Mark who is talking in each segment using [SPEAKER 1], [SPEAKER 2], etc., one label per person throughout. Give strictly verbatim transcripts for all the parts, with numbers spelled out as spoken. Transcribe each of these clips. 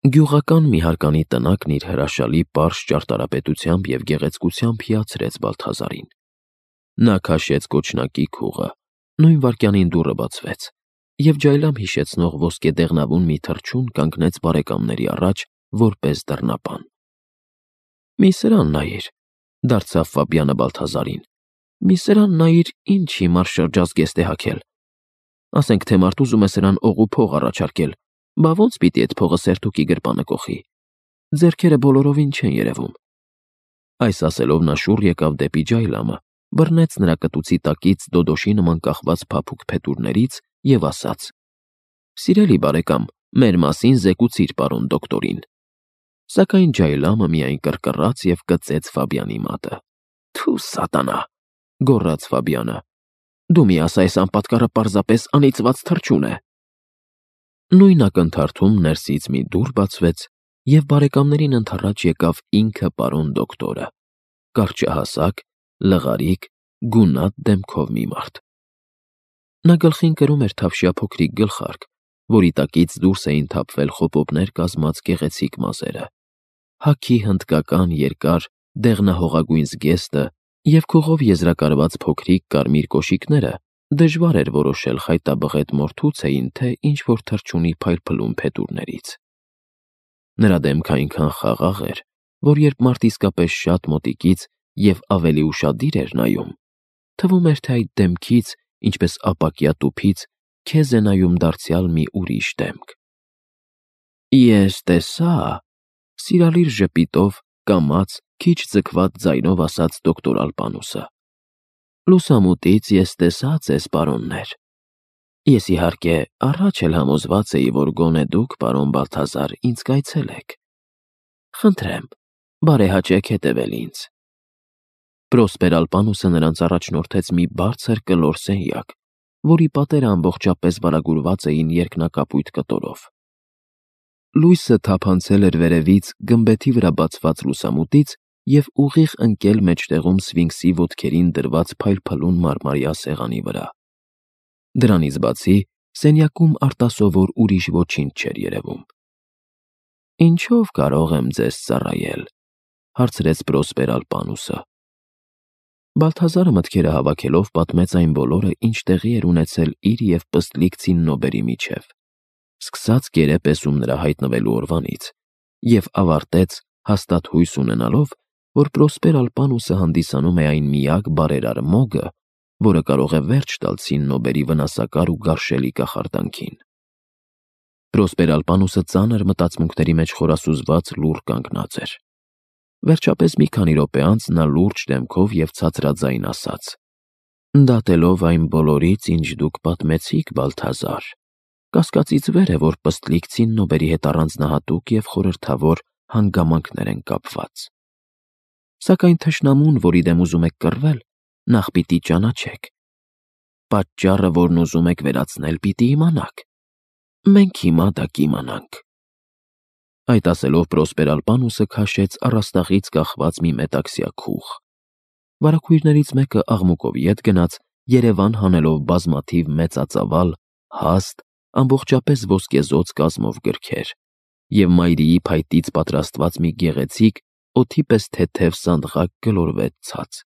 [SPEAKER 1] Գյուղական մի հարկանի տնակն իր հրաշալի պարզ ճարտարապետությամբ և գեղեցկությամբ հիացրեց Բալթազարին։ Նա քաշեց կոչնակի քուղը, նույն վայրկյանին դուռը բացվեց, և ջայլամ հիշեցնող ոսկե դեղնավուն մի թռչուն կանգնեց բարեկամների առաջ որպես դռնապան։ «Մի սրան նայիր», դարձավ Ֆաբիանը Բալթազարին, «մի սրան նայիր, ինչ հիմար շրջազգեստ է հագել։ Ասենք թե մարդ ուզում է սրան օղու փող առաջարկել, բա ո՞նց պիտի էդ փողը սերտուկի գրպանը կոխի, ձեռքերը բոլորովին չեն երևում»։ Այս ասելով նա շուռ եկավ դեպի ջայլամը, բռնեց նրա կտուցի տակից դոդոշի նման կախված փափուկ փետուրներից և ասաց. «Սիրելի բարեկամ, մեր մասին զեկուցիր պարոն դոկտորին»։ Սակայն ջայլամը միայն կռկռաց և կծեց Ֆաբյանի մատը։ «Թո՛ւ սատանա», գոռաց Ֆաբյանը, «դու մի ասա, այս անպատկառը պարզապես անիծված թռչուն է»։ Նույն ակնթարթում ներսից մի դուռ բացվեց, և բարեկամներին ընդառաջ եկավ ինքը պարոն դոկտորը, կարճահասակ, լղարիկ, գունատ դեմքով մի մարդ։ Նա գլխին կրում էր թավշյա փոքրիկ գլխարկ, որի տակից դուրս էին թափվել խոպոպներ կազմած գեղեցիկ մազերը, հագի հնդկական երկար դեղնահողագույն զգեստը և քուղով եզրակարված փոքրիկ կարմիր կոշիկները դժվար էր որոշել խայտաբղետ մորթուց էին, թե ինչ-որ թռչունի փայլփլուն փետուրներից։ Նրա դեմքը այնքան խաղաղ էր, որ երբ մարդ իսկապես շատ մոտիկից և ավելի ուշադիր էր նայում, թվում էր, թե այդ դեմքից, ինչպես ապակյա տուփից, քեզ է նայում դարձյալ մի ուրիշ դեմք։ «Ես տեսա», սիրալիր ժպիտով, կամաց, քիչ ձգված ձայնով ասաց դոկտոր Ալպանուսը, «լուսամուտից ես տեսա ձեզ, պարոններ։ Ես, իհարկե, առաջ էլ համոզված էի, որ գոնե դուք, պարոն Բալթազար, ինձ կայցելեք։ Խնդրեմ, բարեհաճեք հետևել ինձ»։ Պրոսպեր Ալպանուսը նրանց առաջնորդեց մի բարձր կլոր սենյակ, որի պատերը ամբողջապես վարագուրված էին երկնակապույտ կտորով։ Լույսը թափանցել էր վերևից գմբեթի վրա բացված լուսամուտից և ուղիղ ընկել մեջտեղում սֆինքսի ոտքերին դրված փայլփլուն մարմարյա սեղանի վրա։ Դրանից բացի սենյակում արտասովոր ուրիշ ոչինչ չէր երևում։ «Ինչո՞վ կարող եմ ձեզ ծառայել», հարցրեց Պրոսպեր Ալպանուսը։ Բալթազարը մտքերը հավաքելով պատմեց այն բոլորը, ինչ տեղի էր ունեցել իր և Պստլիկ Ցիննոբերի միջև, սկսած գերեպես նրա հայտնվելու օրվանից, և ավարտեց հաստատ հույս ունենալով, որ Պրոսպեր Ալպանուսը հանդիսանում է այն միակ բարերար մոգը, որը կարող է վերջ տալ Ցիննոբերի վնասակար ու գարշելի կախարդանքին։ Պրոսպեր Ալպանուսը ծանր մտածմունքների մեջ խորասուզված լուռ կանգնած էր։ Վերջապես մի քանի րոպե անց նա լուրջ դեմքով և ցածրաձայն ասաց. «Դատելով այն բոլորից, ինչ դուք պատմեցիք, Բալթազար, կասկածից վեր է, որ Պստլիկ Ցիննոբերի հետ առանձնահատուկ և խորհրդավոր հանգամանքներ են կապված։ Սակայն թշնամուն, որի դեմ ուզում եք կռվել, նախ պիտի ճանաչեք։ Պատճառը, որն ուզում եք վերացնել, պիտի իմանաք։ Մենք հիմա դա կիմանանք»։ Այդ ասելով Պրոսպեր Ալպանուսը քաշեց առաստաղից կախված մի մետաքսյա քուղ։ Վարագույրներից մեկը աղմուկով ետ գնաց, Երևան հանելով բազմաթիվ մեծածավալ, հաստ, ամբողջապես ոսկեզօծ կազմով գրքեր, և մայրիի փայտից պատրաստված մի գեղեցիկ, օդի պես թեթև սանդղակ գլորվեց ցած։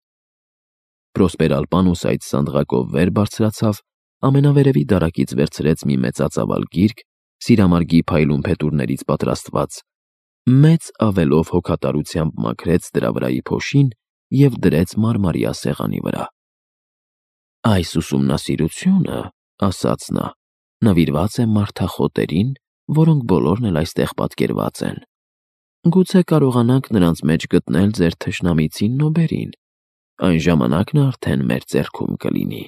[SPEAKER 1] Պրոսպեր Ալպանուսը այդ սանդղակով վեր բարձրացավ, ամենավերևի դարակից վերցրեց մի մեծածավալ գիրք, սիրամարգի փայլուն փետուրներից պատրաստված, մեծ ավելով հոգատարությամբ մաքրեց դրա վրայի փոշին և դրեց մարմարյա սեղանի վրա։ «Այս ուսումնասիրությունը, — ասաց նա, — նվիրված է մարդախոտերին, որոնք բոլորն էլ այստեղ պատկերված են։ Գուցե կարողանանք նրանց մեջ գտնել ձեր թշնամի Ցիննոբերին, այն ժամանակ նա արդեն մեր ձեռքում կլինի»։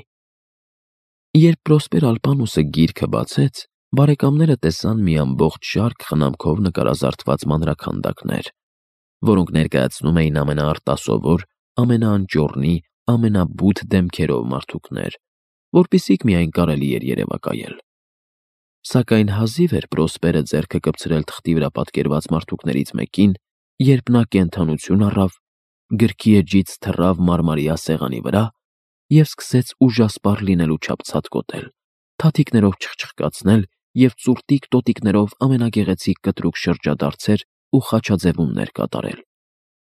[SPEAKER 1] Երբ Պրոսպեր Ալպանուսը գիրքը բացեց, բարեկամները տեսան մի ամբողջ շարք խնամքով նկարազարդված մանրաքանդակներ, որոնք ներկայացնում էին ամենաարտասովոր, ամենաանճոռնի, ամենաբութ դեմքերով մարդուկներ, որպիսիք միայն կարելի էր երևակայել։ Սակայն հազիվ էր Պրոսպերը ձեռքը կպցրել թղթի վրա պատկերված մարդուկներից մեկին, երբ նա կենդանություն առավ, գրքի էջից թռավ մարմարյա սեղանի վրա և սկսեց ուժասպառ լինելու չափ ցատկոտել, թաթիկներով չխչխկացնել և ծուրտիկ տոտիկներով ամենագեղեցիկ կտրուկ շրջադարձեր ու խաչաձևումներ կատարել,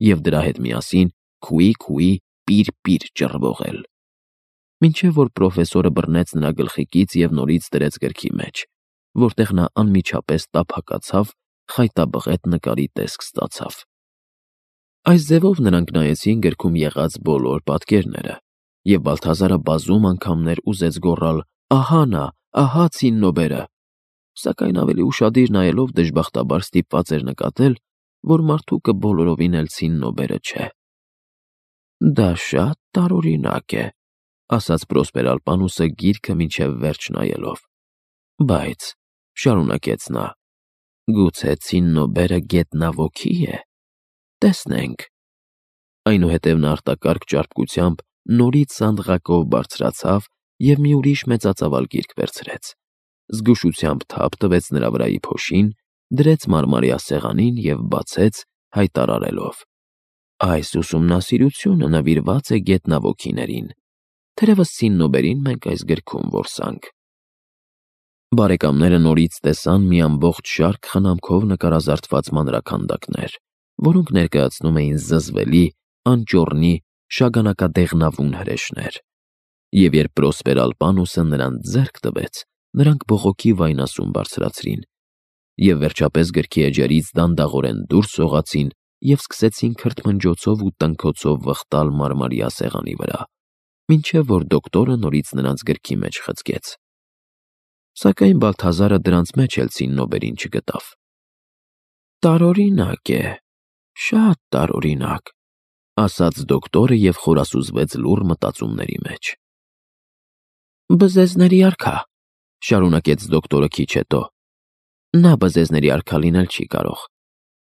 [SPEAKER 1] և դրա հետ միասին քուի-քուի, պիր-պիր ճռվողել, մինչև որ պրոֆեսորը բռնեց նրա գլխիկից և նորից դրեց գրքի մեջ, որտեղ նա անմիջապես տափակացավ, խայտաբղետ նկարի տեսք ստացավ։ Այս ձևով նրանք նայեցին գրքում եղած բոլոր պատկերները, և Բալթազարը բազում անգամներ ուզեց գոռալ. «Ահա նա, ահա ցիննոբերը», սակայն ավելի ուշադիր նայելով դժբախտաբար ստիպված էր նկատել, որ մարդուկը բոլորովին էլ ցիննոբերը չէ։ «Դա շատ տարօրինակ է», ասաց Պրոսպերալպանուսը գիրքը մինչև վերջ նայելով։ «Բայց», շարունակեց նա, «գուցե ցիննոբերը գետնավորքի է։ Տեսնենք»։ Այնուհետև նա արտակարգ ճարպկությամբ նորից սանդղակով բարձրացավ և մի ուրիշ մեծածավալ գիրք վերցրեց, զգուշությամբ թափ տվեց նրա վրայի փոշին, դրեց մարմարյա սեղանին և բացեց, հայտարարելով. «Այս ուսումնասիրությունը նվիրված է գետնավորքիներին։ Թերևս ցիննոբերին մենք այս գրքում որսանք»։ Բարեկամները նորից տեսան մի ամբողջ շարք խնամքով նկարազարդված մանրաքանդակներ, որոնք ներկայացնում էին զզվելի, անճոռնի, շագանակադեղնավուն հրեշներ, և երբ Պրոսպերալպանուսը նրանց ձեռք տվեց, նրանք բողոքի վայնասուն բարձրացրին, և վերջապես գրքի էջերից դանդաղորեն դուրս սողացին և սկսեցին քրթմնջոցով ու տնքոցով վխտալ մարմարյա սեղանի վրա, մինչև որ դոկտորը նորից նրանց գրքի մեջ խցկեց։ Սակայն Բալթազարը դրանց մեջ էլ ցիննոբերին չգտավ։ «Տարօրինակ է, շատ տարօրինակ», ասաց դոկտորը և խորասուզվեց լուռ մտածումների մեջ։ «Բզեզների արքա», շարունակեց դոկտորը քիչ հետո, «նա բզեզների արքա լինել չի կարող,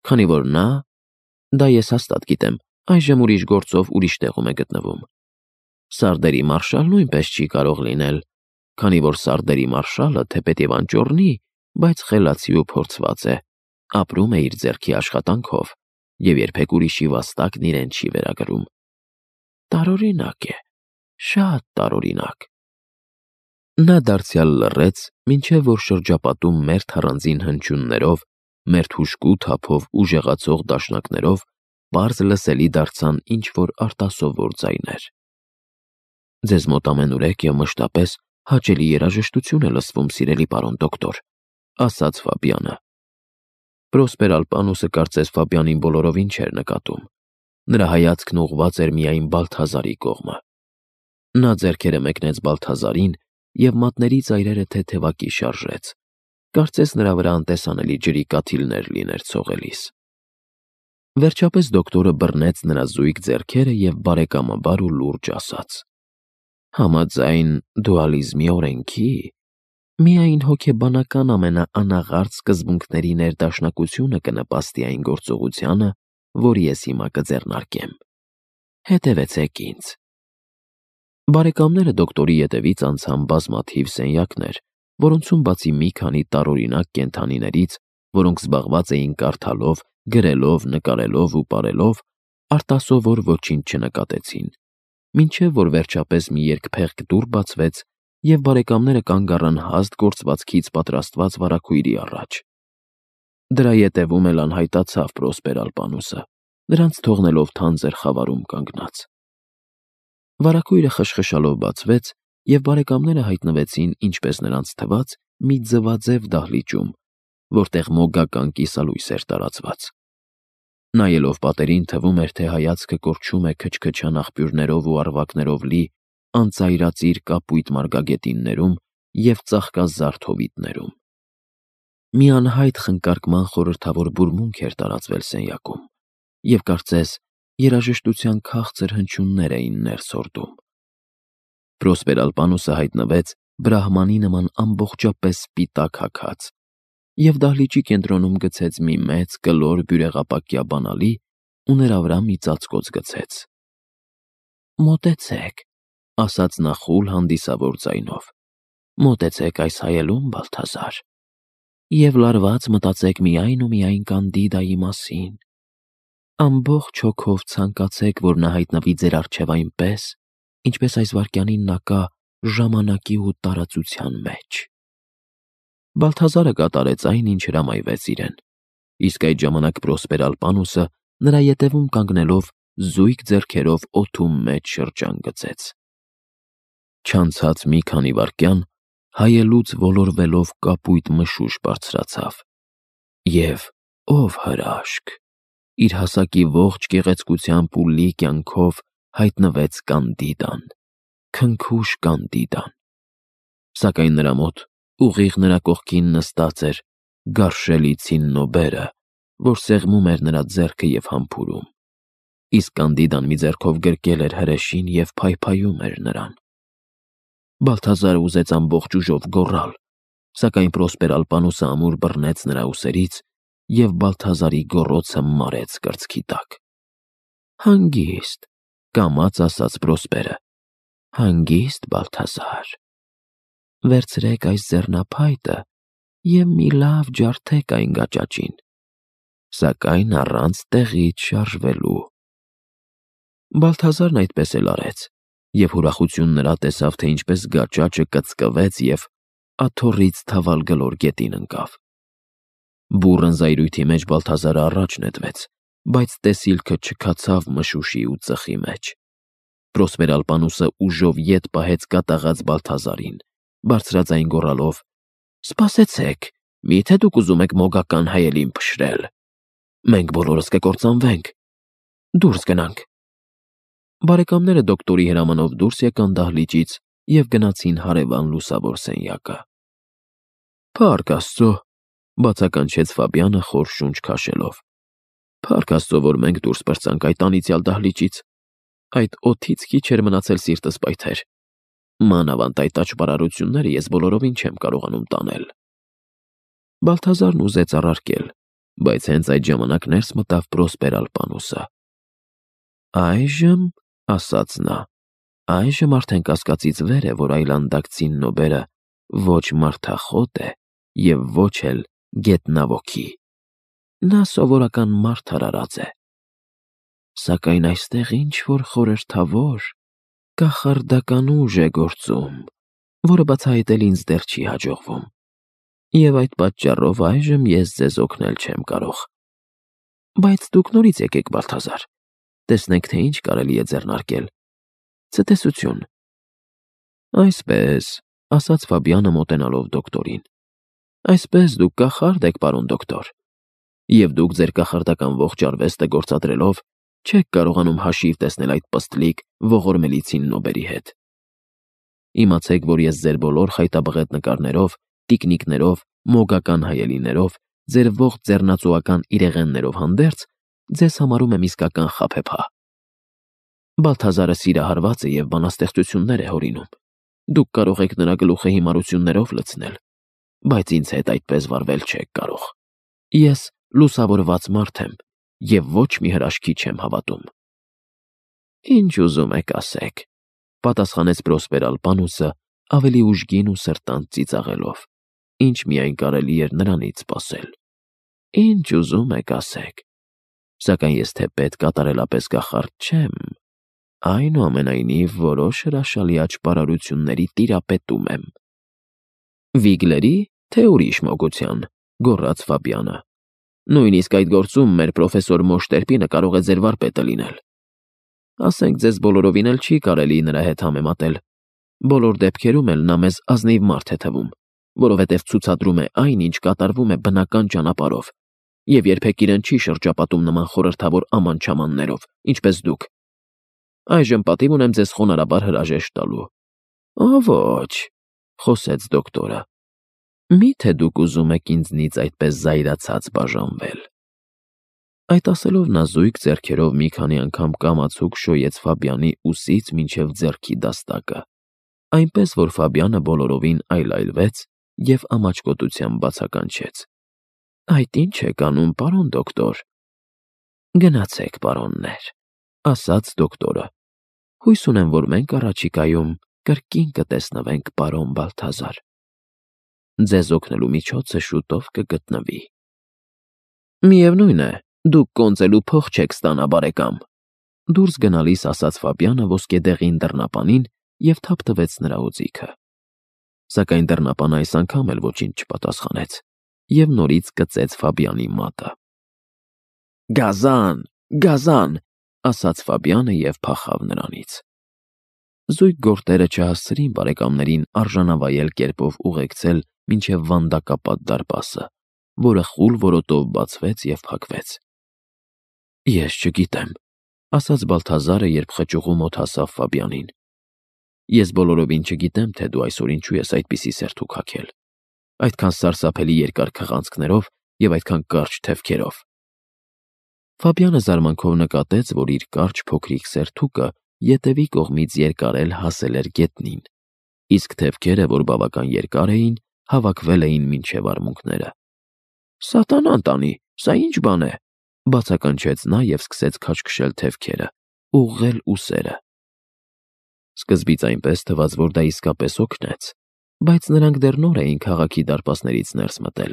[SPEAKER 1] քանի որ նա, դա ես հաստատ գիտեմ, այժմ ուրիշ գործով ուրիշ տեղում է գտնվում։ Սարդերի մարշալ նույնպես չի կարող լինել, քանի որ սարդերի մարշալը, թեպետև անճոռնի, բայց խելացի ու փորձված է, ապրում է իր ձեռքի աշխատանքով և երբեք ուրիշի վաստակն իրեն չի վերագրում։ Տարօրինակ է, շատ տարօրինակ»։ Նա դարձյալ լռեց, մինչև որ շրջապատում մերթ առանձին հնչյուններով, մերթ հուժկու թափով ու ժեղացող դաշնակներով պարզ լսելի դարձան ինչ-որ արտասովոր ձայներ։ «Ձեզ մոտ ամենուրեք և մշտապես հաճելի երաժշտություն է լսվում, սիրելի պարոն դոկտոր», ասաց Ֆաբյանը։ Պրոսպերալպանուսը կարծես Ֆաբյանին բոլորովին չէր նկատում։ Նրա հայացքն ուղղված էր միայն Բալթազարի կողմը։ Նա ձեռքերը մեկնեց Բալթազարին և մատների ծայրերը թեթևակի շարժեց, կարծես նրա վրա անտեսանելի ջրի կաթիլներ լիներ ցողելիս։ Վերջապես դոկտորը բռնեց նրա զույգ ձեռքերը և բարեկամաբար ու լուրջ ասաց. «Համաձայն դուալիզմի օրենքի, միայն հոգեբանական ամենաանաղարտ սկզբունքների ներդաշնակությունը կնպաստի այն գործողությանը, որ ես հիմա կձեռնարկեմ։ Հետևեցեք ինձ»։ Բարեկամները դոկտորի ետևից անցան բազմաթիվ սենյակներ, որոնցում բացի մի քանի տարօրինակ կենդանիներից, որոնք զբաղված էին կարդալով, գրելով, նկարելով ու պարելով, արտասովոր ոչինչ չնկատեցին, մինչև որ վերջապես մի երկփեղկ դուռ բացվեց, և բարեկամները կանգ առան հաստ գործվածքից պատրաստված վարագույրի առաջ։ Դրա ետևում էլ անհայտացավ Պրոսպերալպանուսը, նրանց թողնելով թանձր խավարում կանգնած։ Վարագույրը խշխշալով բացվեց, և բարեկամները հայտնվեցին, ինչպես նրանց թվաց, մի ձվաձև դահլիճում, որտեղ մոգական կիսալույս էր տարածված։ Նայելով պատերին, թվում էր, թե հայացքը կորչում է քչքչան աղբյուրներով ու առվակներով լի անծայրածիր կապույտ մարգագետիններում և ծաղկազարդ հովիտներում։ Մի անհայտ խնկարկման խորհրդավոր բուրմունք էր տարածվել սենյակում, և կարծես երաժշտության քաղցր հնչյուններ էին ներս հորդում։ Պրոսպերալպանուսը հայտնվեց բրահմանի նման ամբողջապես սպիտակ հագած և դահլիճի կենտրոնում գցեց մի մեծ կլոր բյուրեղապակյա բանալի ու նրա վրա մի ծածկոց գցեց։ «Մոտեցեք», ասաց նա խուլ հանդիսավոր ձայնով, «մոտեցեք այս հայելուն, Բալթազար, և լարված մտածեք միայն ու միայն Կանդիդայի մասին։ Ամբողջ հոգով ցանկացեք, որ նա հայտնվի ձեր առջև այնպես, ինչպես այս վայրկյանին նա կա ժամանակի ու տարածության մեջ»։ Բալթազարը կատարեց այն, ինչ հրամայվեց իրեն, իսկ այդ ժամանակ Պրոսպեր Ալպանուսը նրա ետևում կանգնելով զույգ ձեռքերով օդում մեջ շրջան գծեց։ Չանցած մի քանի վայրկյան հայելուց ոլորվելով կապույտ մշուշ բարձրացավ, և ով հրաշք, իր հասակի ողջ գեղեցկությամբ ու լի կյանքով հայտնվեց Կանդիդան, քնքուշ Կանդիդան, սակայն նրա մոտ ուղիղ նրա կողքին նստած էր գարշելի ցիննոբերը, որ սեղմում էր նրա ձեռքը և համբուրում, իսկ Կանդիդան մի ձեռքով գրկել էր հրեշին և փայփայում էր նրան։ Բալթազարը ուզեց ամբողջ ուժով գոռալ, սակայն Պրոսպեր Ալպանուսը ամուր բռնեց նրա ուսերից և Բալթազարի գոռոցը մարեց կրծքի տակ։ Հանգիստ, կամաց ասաց Պրոսպերը, հանգիստ, Բալթազար, վերցրեք այս ձեռնափայտը և մի լավ ջարդեք այն գաճաճին, սակայն առանց տեղից շարժվելու։ Բալթազարն այդպես էլ արեց, և ուրախություն նրա տեսավ, թե ինչպես գաճաճը կծկվեց և աթոռից թավալ գլոր գետին ընկավ։ Բուռն զայրույթի մեջ Բալթազարը առաջ նետվեց, բայց տեսիլքը չքացավ մշուշի ու ծխի մեջ։ Պրոսպեր Ալպանուսը ուժով ետ պահեց կատաղած Բալթազարին, բարձրաձայն գոռալով. «Սպասեցեք, մի՞թե դուք ուզում եք մոգական հայելին փշրել։ Մենք բոլորս կկործանվենք։ Դուրս գնանք»։ Բարեկամները դոկտորի հրամանով դուրս եկան դահլիճից և գնացին հարևան լուսավոր սենյակը։ «Փառք Աստծո», բացականչեց Ֆաբյանը խոր շունչ քաշելով։ «Փառք Աստծո, որ մենք դուրս պրծանք այդ անիծյալ դահլիճից։ Այդ օդից քիչ էր մնացել սիրտս պայթեր։ Մանավանդ այդ աճպարարությունները ես բոլորովին չեմ կարողանում տանել»։ Բալթազարն ուզեց առարկել, բայց հենց այդ ժամանակ ներս մտավ Պրոսպեր Ալպանուսը։ «Այժմ, — ասաց նա, — այժմ արդեն կասկածից վեր է, որ այլանդակ ցիննոբերը ոչ մարդախոտ է և ոչ էլ գետնավորքի։ Նա սովորական մարդ արարած է։ Սակայն այստեղ ինչ-որ խորհրդավոր, կախարդական ուժ է գործում, որը բացահայտել ինձ դեռ չի հաջողվում, և այդ պատճառով այժմ ես ձեզ օգնել չեմ կարող։ Բայց դուք նորից եկեք, Բալթազար, տեսնենք, թե ինչ կարելի է ձեռնարկել։ Ցտեսություն»։ «Այսպես, — ասաց Ֆաբյանը մոտենալով դոկտորին, — այսպես դուք կախարդ եք, պարոն դոկտոր, և դուք ձեր կախարդական ողջ արվեստը գործադրելով չեք կարողանում հաշիվ տեսնել այդ պստլիկ ողորմելի ցիննոբերի հետ։ Իմացեք, որ ես ձեր բոլոր խայտաբղետ նկարներով, տիկնիկներով, մոգական հայելիներով, ձեր ողջ ձեռնածուական իրեղեններով հանդերձ ձեզ համարում եմ իսկական խաբեբա։ Բալթազարը սիրահարված է և բանաստեղծություններ է հորինում։ Դուք կարող եք նրա գլուխը հիմարություններով լցնել, բայց ինձ հետ այդպես վարվել չեք կարող։ Ես լուսավորված մարդ եմ և ոչ մի հրաշքի չեմ հավատում»։ «Ինչ ուզում եք ասեք», — պատասխանեց Պրոսպեր Ալպանուսը ավելի ուժգին ու սրտանց ծիծաղելով, ինչ միայն կարելի էր նրանից սպասել։ «Ինչ ուզում եք ասեք, սակայն ես թեպետ կատարելապես կախարդ չեմ, այնուամենայնիվ որոշ հրաշալի աճպարարությունների տիրապետում եմ»։ «Վիգլերի, թե ուրիշ մոգության», — գոռաց Ֆաբյանը։ «Նույնիսկ այդ գործում մեր պրոֆեսոր Մոշտերպինը կարող է ձեր վարպետը լինել։ Ասենք ձեզ բոլորովին էլ չի կարելի նրա հետ համեմատել։ Բոլոր դեպքերում էլ նա մեզ ազնիվ մարդ է թվում, որովհետև ցուցադրում է այն, ինչ կատարվում է բնական ճանապարհով, և երբեք իրեն չի շրջապատում նման խորհրդավոր աման-չամաններով, ինչպես դուք։ Այժմ պատիվ ունեմ ձեզ խոնարհաբար հրաժեշտ տալու»։ «Օ, ոչ, — խոսեց դոկտորը, — մի՞թե դուք ուզում եք ինձնից այդպես զայրացած բաժանվել»։ Այդ ասելով նա զույգ ձեռքերով մի քանի անգամ կամացուկ շոյեց Ֆաբյանի ուսից մինչև ձեռքի դաստակը, այնպես որ Ֆաբյանը բոլորովին այլայլվեց և ամաչկոտությամբ բացականչեց. «Այդ ի՞նչ եք անում, պարոն դոկտոր»։ «Գնացեք, պարոններ», — ասաց դոկտորը։ «Հույս ունեմ, որ մենք առաջիկայում կրկին կտեսնվենք, պարոն Բալթազար։ Ձեզ օգնելու միջոցը շուտով կգտնվի»։ «Միևնույն է, դուք կոնծելու փող չեք ստանա, բարեկամ», — դուրս գնալիս ասաց Ֆաբյանը ոսկեդեղին դռնապանին և թափթվեց նրա օձիքը։ Սակայն դռնապանը այս անգամ էլ ոչինչ չպատասխանեց և նորից կծեց Ֆաբյանի մատը։ «Գազան, գազան», ասաց Ֆաբյանը և փախավ նրանից։ Զույգ գորտերը չհասցրին բարեկամներին արժանավայել կերպով ուղեկցել մինչև վանդակապատ դարպասը, որը խուլ որոտով բացվեց և փակվեց։ «Ես չգիտեմ», ասաց Բալթազարը, երբ խճուղու մոտ հասավ Ֆաբյանին։ «Ես բոլորովին չգիտեմ, թե դու այսօր ինչու ես այդպիսի սերթուք հագել, այդքան սարսափելի երկար քղանցքներով և այդքան կարճ թևքերով»։ Ֆաբյանը զարմանքով նկատեց, որ իր կարճ փոքրիկ սերթուկը ետևի կողմից երկարել հասել էր գետնին, իսկ թևքերը, որ բավական երկար էին, հավաքվել էին մինչև արմունկները։ «Սատանան տանի, սա ի՞նչ բան է», բացականչեց նա և սկսեց քաշքշել թևքերը, ուղղել ուսերը։ Սկզբից այնպես թվաց, որ դա իսկապես օգնեց, բայց նրանք դեռ նոր էին քաղաքի դարպասներից ներս մտել,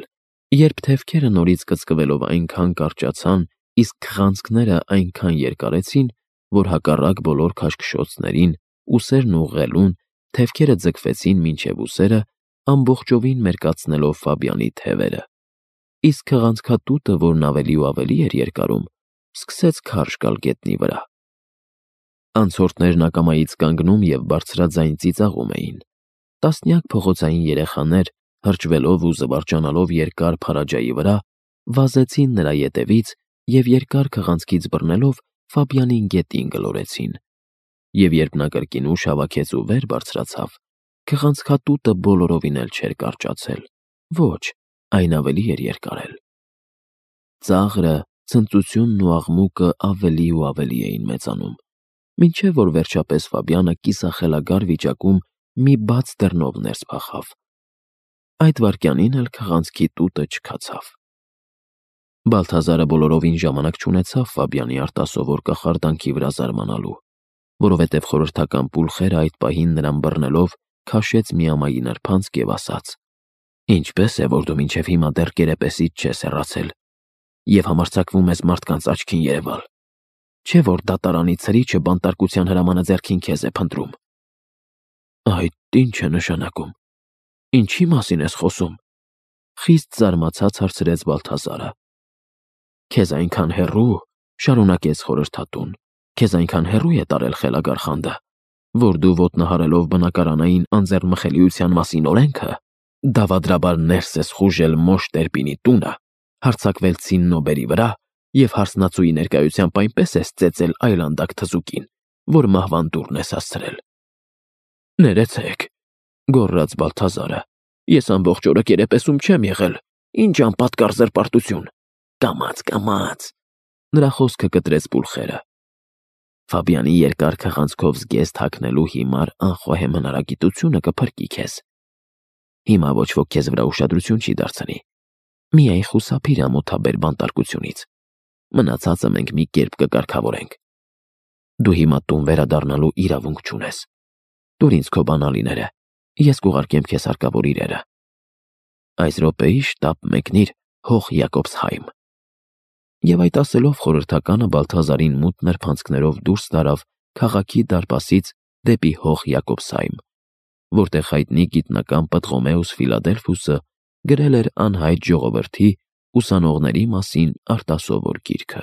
[SPEAKER 1] երբ թևքերը նորից կծկվելով այնքան կարճացան, իսկ քղանցքները այնքան երկարեցին, որ հակառակ բոլոր քաշքշոցներին, ուսերն ուղղելուն, թևքերը ձգվեցին մինչև ուսերը, ամբողջովին մերկացնելով Ֆաբյանի թևերը, իսկ քղանցքատուտը, որն ավելի ու ավելի էր երկարում, սկսեց քարշ գալ գետնի վրա։ Անցորդներն ակամայից կանգնում և բարձրաձայն ծիծաղում էին։ Տասնյակ փողոցային երեխաներ, հրճվելով ու զվարճանալով երկար փարաջայի վրա, վազեցին նրա ետևից և երկար քղանցքից բռնելով Ֆաբյանին գետին գլորեցին, և երբ նա կրկին ուժ հավաքեց ու վեր բարձրացավ, քղանցքատուտը բոլորովին էլ չէր կարճացել, ոչ, այն ավելի էր երկարել։ Ծաղրը, ցնծությունն ու աղմուկը ավելի ու ավելի էին մեծանում, մինչև որ վերջապես Ֆաբյանը կիսախելագար վիճակում մի բաց դռնով ներս փախավ։ Այդ վայրկյանին էլ քղանցքի տուտը չքացավ։ Բալթազարը բոլորովին ժամանակ չունեցավ Ֆաբյանի արտասովոր կախարդանքի վրա զարմանալու, որովհետև խորհրդական պուլխերը այդ պահին նրան բռնելով քաշեց միամայի նրբանցք և ասաց. «Ինչպե՞ս է, որ դու մինչև հիմա դեռ կերեպեսից չես հեռացել և համարձակվում ես մարդկանց աչքին երևալ, չէ՞ որ դատարանի ցրիչը բանտարկության հրամանը ձեռքին քեզ է փնտրում»։ «Այդ ի՞նչ է նշանակում, ինչի՞ մասին ես խոսում», խիստ զարմացած հարցրեց Բալթազարը։ «Քեզ այնքան հեռու, շարունակեց խորհրդատուն, քեզ այնքան հեռու է տարել խելագար խանդը, որ դու ոտնահարելով բնակարանային անձեռնմխելիության մասին օրենքը, դավադրաբար ներս ես խուժել Մոշ Տերպինի տունը, հարձակվել ցիննոբերի վրա և հարսնացուի ներկայությամբ այնպես ես ծեծել այլանդակ թզուկին, որ մահվան դուռն ես հասցրել»։ «Ներեցեք», գոռաց Բալթազարը, «ես ամբողջ օրը կերեպեսում չեմ եղել, ինչ անպատկառ զրպարտություն»։ «Կամաց, կամաց», նրա խոսքը կտրեց պուլխերը։ «Ֆաբյանի երկար քղանցքով զգեստ հագնելու հիմար անխոհեմ հնարագիտությունը կփրկի քեզ։ Հիմա ոչ ոք քեզ վրա ուշադրություն չի դարձնի, միայն խուսափիր ամոթաբեր բանտարկությունից, մնացածը մենք մի կերպ կկարգավորենք։ Դու հիմա տուն վերադառնալու իրավունք չունես։ Տուր ինձ քո բանալիները, ես կուղարկեմ քեզ հարկավոր իրերը։ Այս րոպեի շտապ մեկնիր Հող Յակոբսհայմ»։ Եվ այդ ասելով խորհրդականը Բալթազարին մութ նրբանցքներով դուրս տարավ քաղաքի դարպասից դեպի Հող Յակոբսհայմ, որտեղ հայտնի գիտնական Պտղոմեուս Ֆիլադելֆոսը գրել էր անհայտ ժողովրդի ուսանողների մասին արտասովոր գիրքը։